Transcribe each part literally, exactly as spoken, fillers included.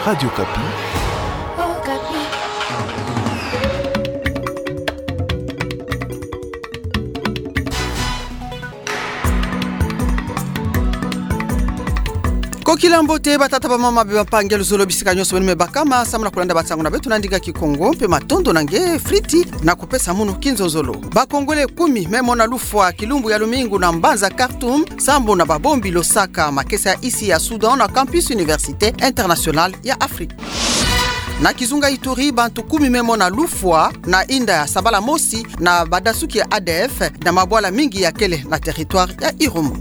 Radio Okapi. Kokila mbote batata, bamama, bampangi ya luzolo, bisika nyonso beno me bakama samu na kulanda bansangu na beto na ndinga Kikongo, mpe matondo na nge Friti na kupesa munu kinzonzolo. Ba Congolais kumi me mona lufwa kilumbu ya lumingu na mbanza Khartoum, sambu na babombi losaka makesa ya insi ya Soudan na campus Université Internationale ya Afrique. Na kizunga Ituri, bantu kumi me mona lufwa na inda ya sabala mosi na badasuki ya A D F na mabwala mingi ya kele na territoire ya Irumu.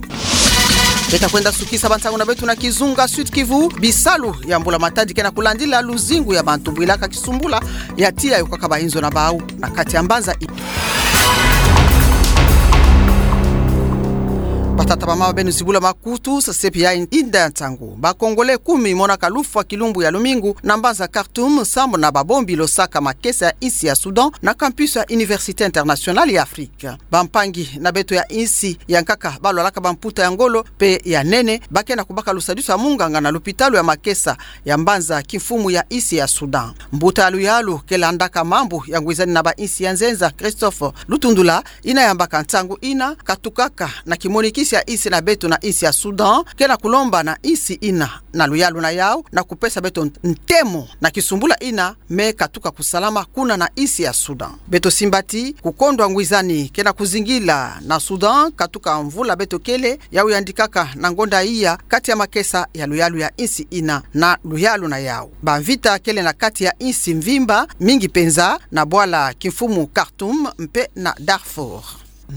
Beta kwenda sukisa bansangu na beto na kizunga Sud-Kivu. Bisalu ya mbula matadi ke na kulandila luzingu ya bantu bwilaka kisumbula ya tiya yokaka bainzo na bau na kati ya mbanza i. Batata, bamama, beno zibula makutu, sasepi ya inda ya nsangu. Ba Congolais kumi monaka lufwa kilumbu ya lumingu na mbanza Khartoum, sambu na babombi losaka makesa ya insi ya Soudan na campus ya Université Internationale ya Afrique. Bampangi na beto ya insi ya nkaka balwalaka bamputa ya ngolo mpe ya nene, ba ke na kubaka lusadisu ya munganga na lupitalu ya makesa ya mbanza kimfumu ya insi ya Soudan. Mbuta ya luyalu ke landaka mambu ya ngwizani na bainsi ya nzenza, Christophe Lutundula, yina yambaka nsangu yina katukaka na kimonikisi ya insi na beto na insi ya Soudan, ke na kulomba na insi yina na luyalu na yau na kupesa beto ntemo na kisumbula yina me katuka kusalama kuna na insi ya Soudan. Beto simba ti kukondwa ngwizani ke na kuzingila na Soudan katuka mvula beto kele, yau yandikaka na ngonda iya kati ya makesa ya luyalu ya insi yina na luyalu na yau. Bamvita kele na kati ya insi mvimba, mingi mpenza na bwala kimfumu Khartoum mpe na Darfour.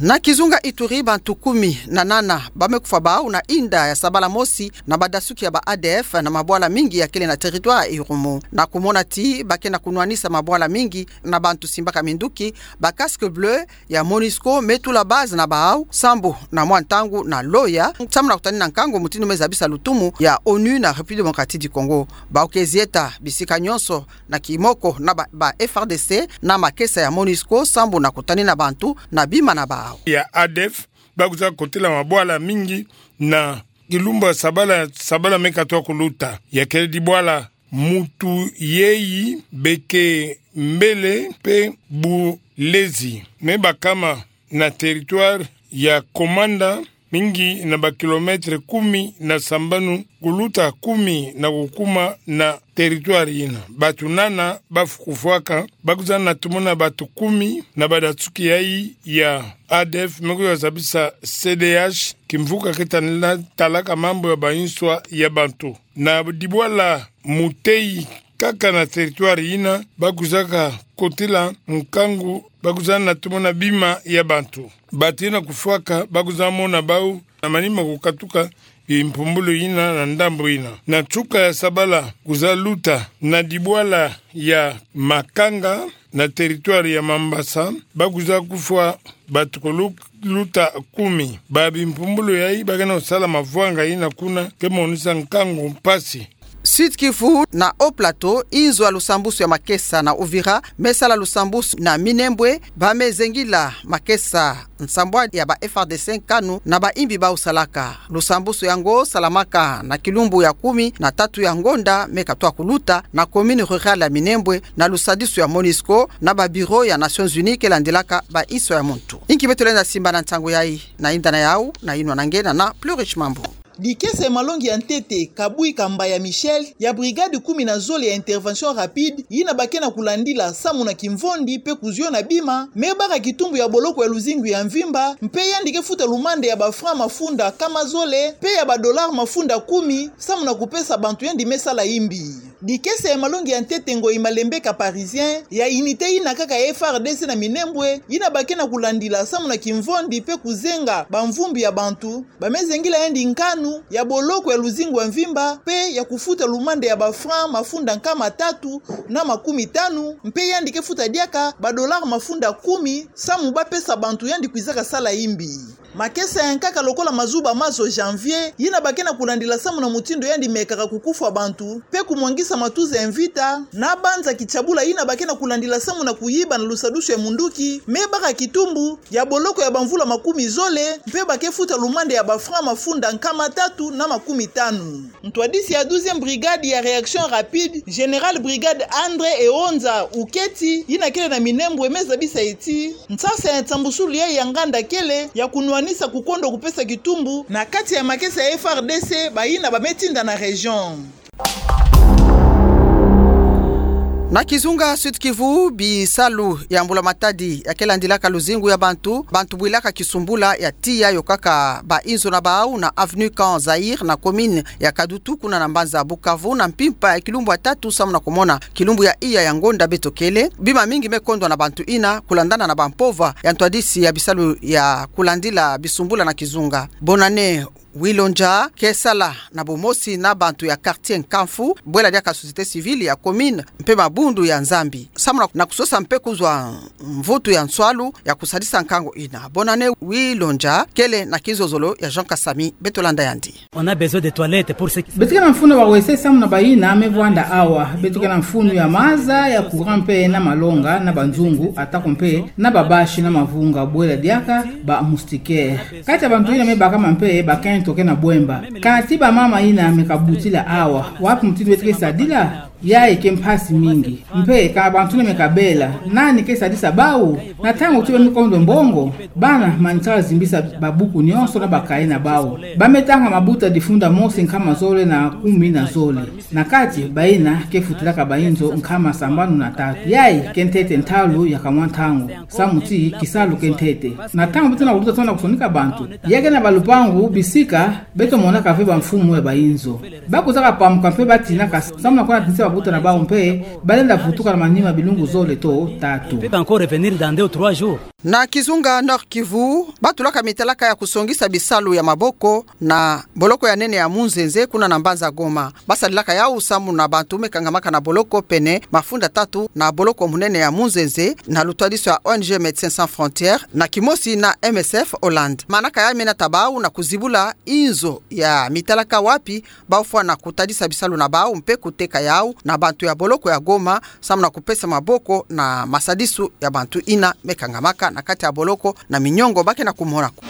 Na kizunga Ituri, bantu kumi na nana ba me kufwa bau na inda ya sabala mosi na badasuki ya ba A D F na mabwala mingi ya kele na territoire ya Irumu. Na kumona ti ba ke na kunwanisa mabwala mingi na bantu simbaka minduki, ba casques bleus ya MONUSCO me tula base na bau sambu na mwa ntangu na Loya, samu na kutanina nkangu mutindu me zabisa lutumu ya ONU na République Démocratique du Congo. Bau ke zieta bisika nyonso na kimoko na ba, ba F A R D C na makesa ya MONUSCO sambu na kutanina bantu na bima na bau. Ya A D F ba kwiza kotila mabwala mingi na kilumbu ya sabala, sabala me katoa kuluta. Ya kele dibwala Mutuyeyi, Bekembele mpe Bulezi. Me bakama na territoire ya Komanda, mingi na ba kilomètres kumi na sambanu kuluta kumi na kukuma na territoire yina. Bantu nana ba kufwaka, ba kwiza na tumona bantu kumi na badasuki yayi ya A D F me kwiza zabisa C D H, kimvuka ke tanina talaka mambu ya banswa ya bantu. Na dibwala Muteyi, kaka na territoire yina, ba kwizaka kotila nkangu, ba kwiza na tumona bima ya bantu. Bantu yina kufwaka, ba kwiza mona bau na manima kukatuka bimpumbulu yina na ndambu yina. Na nsuka ya sabala kwiza luta na dibwala ya Makanga, na territoire ya Mambasa, ba kwiza kufwa bantu kulu-, luta kumi. Ba bimpumbulu yayi ba ke na kusala mavwanga yina kuna ke monisa nkangu mpasi. Sud-Kivu na Haut-Plateau, inzo ya lusambusu ya makesa na Uvira me sala lusambusu na Minembwe, ba me zengila makesa nsambwadi ya ba F A R D C nkanu na bayimbi bau salaka. Lusambusu yango salamaka na kilumbu ya kumi na tatu ya ngonda me katoa kuluta na commune rurale ya Minembwe na lusadisu ya MONUSCO na ba bureau ya Nations Unies ke landilaka banswa ya muntu. Inki beto lenda simba na nsangu yayi? Na yinda na yau, na yinwa na nge na Plus Riche Mambu. Dikesa ya malongi ya ntete Kabui Kambaya Michel ya brigade kumi na zole ya intervention rapide, yina ba ke na kulandila samu na kimvondi mpe kuziona bima, me baka kitumbu ya boloko ya luzingu ya mvimba, mpe yandi ke futa lumanda ya ba francs mafunda nkama zole mpe ya ba dollars mafunda kumi, samu na kupesa bantu yandi me sala yimbi. Dikesa ya malongi ya ntete Ngoyi Malembeka Parisien ya unité yina kaka ya F A R D C na Minembwe, yina ba ke na kulandila samu na kimvondi mpe kuzenga bamvumbi ya bantu, ba me zengila yandi nkanu ya boloko ya luzingu ya mvimba mpe ya kufuta lumanda ya ba francs mafunda nkama tatu na makumi tanu, mpe yandi ke futa diaka ba dollars mafunda kumi, samu ba pesa bantu yandi kwizaka sala yimbi. Makesa ya nkaka lokola Mazuba Mazo Janvier, yina ba ke na kulandila samu na mutindu yandi mekaka kukufwa bantu, mpe kumwangisa matuza ya mvita na banza kitiabula yina ba ke na kulandila samu na kuyiba na lusadusu ya munduki, me baka kitumbu ya boloko ya bamvula makumi zole, mpe ba ke futa lumanda ya bafranc mafunda nkama tatu na makumi tanu. Ntwadisi ya douzième brigade ya réaction rapide, général brigade André Eonza Uketi, yina kele na minembwe, me zabisa ti nsasa ya nsambusulu yayi ya nganda kele ya kunwanisa kukondo kupesa kitumbu na kati ya makesa ya F R D C, bayina ba me tinda na région. Na kizunga Sud-Kivu, bisalu ya mbula-matadi ya ke landilaka luzingu ya bantu, bantu bwilaka kisumbula ya tiya yokaka bainzo na bawu na avenue Camp Zaïre na commune ya Kadutu, kuna na mbanza Bukavu, na mpimpa ya kilumbu ya tatu samu na kumona kilumbu ya iya ya ngonda beto kele. Bima mingi me kondwa na bantu yina, kulandana na bampova ya ntwadisi ya bisalu ya kulandila bisumbula na kizunga. Bonane Wilonja ke sala na bumosi na bantu ya quartier Nkamfu, bwela diaka société civile ya commune mpe mabundu ya Nzambi, samu na kusosa mpe kuzwa mvutu ya nswalu ya kusadisa nkangu yina. Bonane Wilonja kele na kizozolo ya Jean Kasami, beto landa yandi. On a besoin de toilettes pour ceux qui sont... Beto ke na mfunu ya ba WC samu na bayina me vwanda awa. Beto ke na mfunu ya maza, ya courant mpe na malonga na banzungu, atako mpe na babasi na mavunga, bwela diaka ba moustiquaire. Kati ya bantu yina me bakama mpe bakento ke na bwemba. Kati bamama yina me kabutila awa, wapi mutindu beto ke sadila? Yayi ke mpasi mingi. Mpe ka bantu yina me kabela, nani ke sadisa bawu? Na ntangu ti ba me kondwa mbongo, bana manisaka zimbisa babuku nyonso na ba cahier na bawu. Ba me tanga mabuta difunda mosi nkama zole na kumi na zole. Na kati, bayina ke futilaka bainzo nkama sambanu na tatu. Yayi ke ntete ntalu ya kamwa ntangu, samu ti kisalu ke ntete. Na ntangu beto na kuluta tona kusonika bantu, ya ke na balupangu bisika, beto monaka ve bamfumu ya bainzo. Ba kwizaka pamuka mpe ba tinaka samu na kwenda tinisa babuta na bawu mpe ba lenda vutuka na manima bilungu zole to tatu. Peut encore revenir dans deux ou trois jours. Na kizunga Nord-Kivu, ba tulaka mitalaka ya kusongisa bisalu ya maboko na boloko ya nene ya Munzenze, kuna na mbanza Goma. Ba sadilaka yawu samu na bantu me kangamaka na boloko pene mafunda tatu na boloko munene ya Munzenze, na lutwadiso ya O N G Médecins Sans Frontières, na kimosi na M S F Hollande. Manaka ya me nata bawu na kuzibula inzo ya mitalaka wapi ba fwana kutadisa bisalu na bawu mpe kuteka yawu na bantu ya boloko ya Goma, samu na kupesa maboko na masadisu ya bantu yina me kangamaka na kati ya boloko na minyongo ba ke na kumona ko.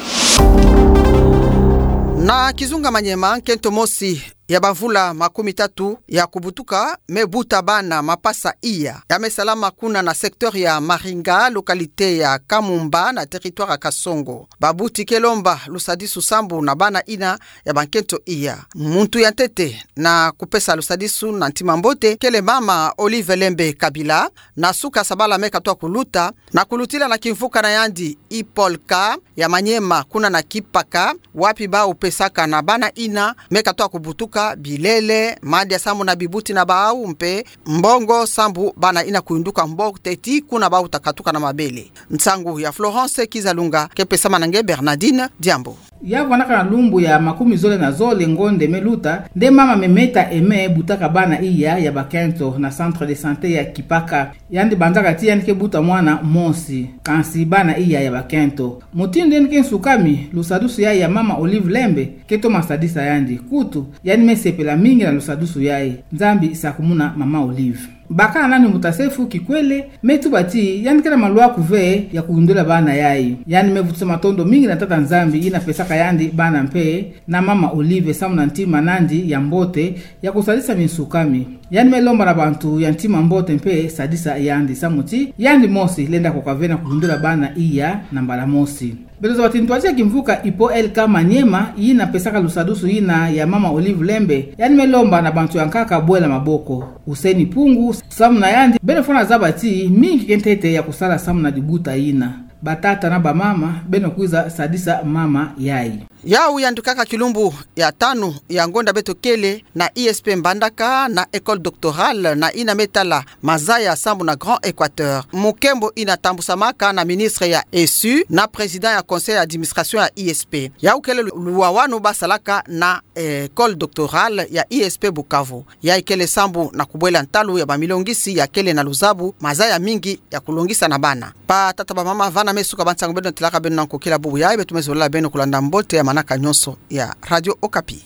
Na kizunga Maniema, nkento mosi ya bamvula makumi tatu ya kubutuka me buta bana mapasa iya. Ya me salama kuna na secteur ya Maringa, localité ya Kamumba, na territoire ya Kasongo. Babuti ke lomba lusadisu sambu na bana yina ya bankento iya. Muntu ya ntete na kupesa lusadisu na ntima mbote kele mama Olive Lembe Kabila, na suka sabala me katoa kuluta, na kulutila na kimvuka na yandi Ipolka ya Maniema, kuna na Kipaka, wapi bawu pesaka na bana yina me katoa kubutuka bilele, madia samu na bibuti na bawu mpe mbongo sambu bana yina kuyunduka mbote ti kuna bawu ta katuka na mabele. Nsangu ya Florence Kizalunga ke pesama na nge Bernardine Diambo. Ya vwanaka na lumbu ya makumi zole na zole ngonde me luta, nde mama Memeta Aimé butaka bana iya ya bakento na centre de santé ya Kipaka. Yandi banzaka ti yandi ke buta mwana mosi, kansi bana iya ya bakento. Mutindu yandi ke nsukami, lusadusu ya, ya mama Olive Lembe ke toma sadisa yandi. Kutu, yandi me sepela mingi na lusadusu yayi. Nzambi sakumuna mama Olive. Bakala nani mbuta Sefu Kikwele, me tuba ti yandi ke na malwaku ve ya kuyundula bana yayi. Yandi me vutisa matondo mingi na Tata Nzambi yina pesaka yandi bana mpe na mama Olive samu na ntima nandi ya mbote ya kusadisa minsukami. Yandi me lomba na bantu ya ntima mbote mpe sadisa yandi samu ti yandi mosi lenda koka ve na kuyundula bana iya na mbala mosi. Beto zaba ti ntwadi ya kimvuka Ipo L K Maniema, yina pesaka lusadusu yina ya mama Olive Lembe, yandi me lomba na bantu ya nkaka bwela maboko. Hussein Pungu, samu na yandi, beno fwana zaba ti mingi ke ntete ya kusala samu na dibuta yina. Batata na bamama, beno kwiza sadisa mama yayi. Yawu yandukaka kilumbu ya tanu ya ngonda beto kele na I S P Mbandaka na école doctorale na yina me tala mazaya sambu na Grand Equateur. Mukembo yina tambusamaka na ministre ya E S U na président ya conseil d'administration ya I S P. Yawu kele lu-, luwawanu basalaka na, eh, école doctorale ya I S P Bukavu. Yayi kele sambu na kubwela ntalu ya bamilongisi ya kele na luzabu mazaya mingi ya kulongisa na bana. Batata bamama, vana me suka ba nsangu beno tilaka beno na nkokila bubu yayi, beto me zolala beno kulanda mbote ya manaka nyonso ya Radio Okapi.